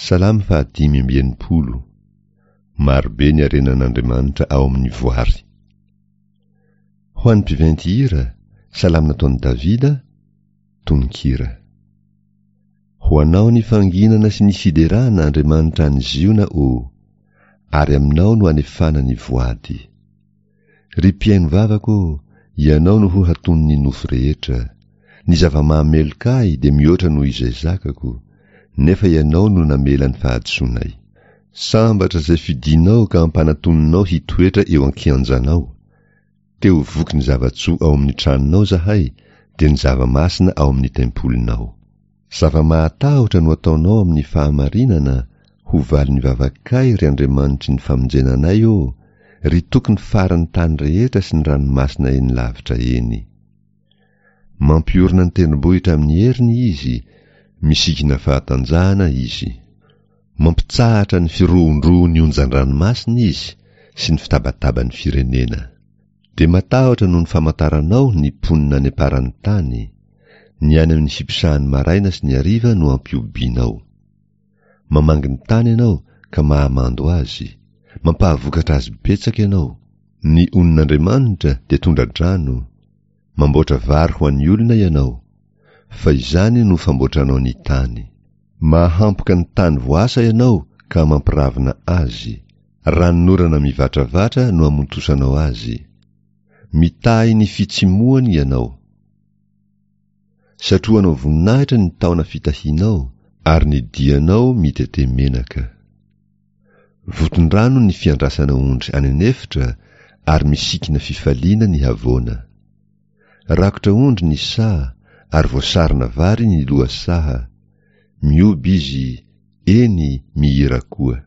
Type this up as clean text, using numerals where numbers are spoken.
Salamo fahadimy amby 60. Marobe ny harenan'Andriamanitra ao amin'ny voary. Ho an'ny mpiventy hira, salamo nataon'i Davida, tononkira. Ho anao ny fanginana sy ny fiderana, Andriamanitra any Ziona ô, ary aminao no anefana ny voady. Ry mpihaino vavaka ô, ianao no ho hatonin'ny nofo rehetra. Ny zava-mahameloka ahy dia mihoatra noho izay zakako, nefa ianao no namela ny fahadisoanay. Sambatra izay fidinao ka ampanatoninao hitoetra eo an-kianjanao. Te ho voky ny zava-tsoa ao amin'ny tranonao izahay, dia ny zava-masina ao amin'ny tempolinao. Zava-mahatahotra no ataonao amin'ny fahamarinana, ho valin'ny vavakay, ry Andriamanitry ny famonjena anay ô, ry Tokin'ny faran'ny tany rehetra sy ny ranomasina eny lavitra eny. Mampiorina ny tendrombohitra amin'ny heriny Izy, misikina fahatanjahana Izy. Mampitsahatra ny firohondrohon'ny onjan-dranomasina Izy sy ny fitabataban'ny firenena. Dia matahotra noho ny famantaranao ny mponina any am-paran'ny tany, ny any amin'ny fiposahan'ny maraina sy ny hariva no ampihobianao. Mamangy ny tany ianao ka mahamando azy, mampahavokatra azy betsaka ianao. Ny onin'Andriamanitra dia tondra-drano, mamboatra vary ho an'ny olona ianao, fa izany no famboatranao ny tany. Mahampoka ny tany voasa ianao ka mampiravina azy, ranonorana mivatravatra no amontosanao azy. Mitahy ny fitsimohany ianao. Satrohanao voninahitra ny taona fitahianao, ary ny dianao mitete menaka. Voton-drano ny fiandrasana ondry any an'efitra, ary misikina fifaliana ny havoana. Rakotra ondry ny saha, ary voasarona vary ny lohasaha. Mihoby izy, eny, mihira koa.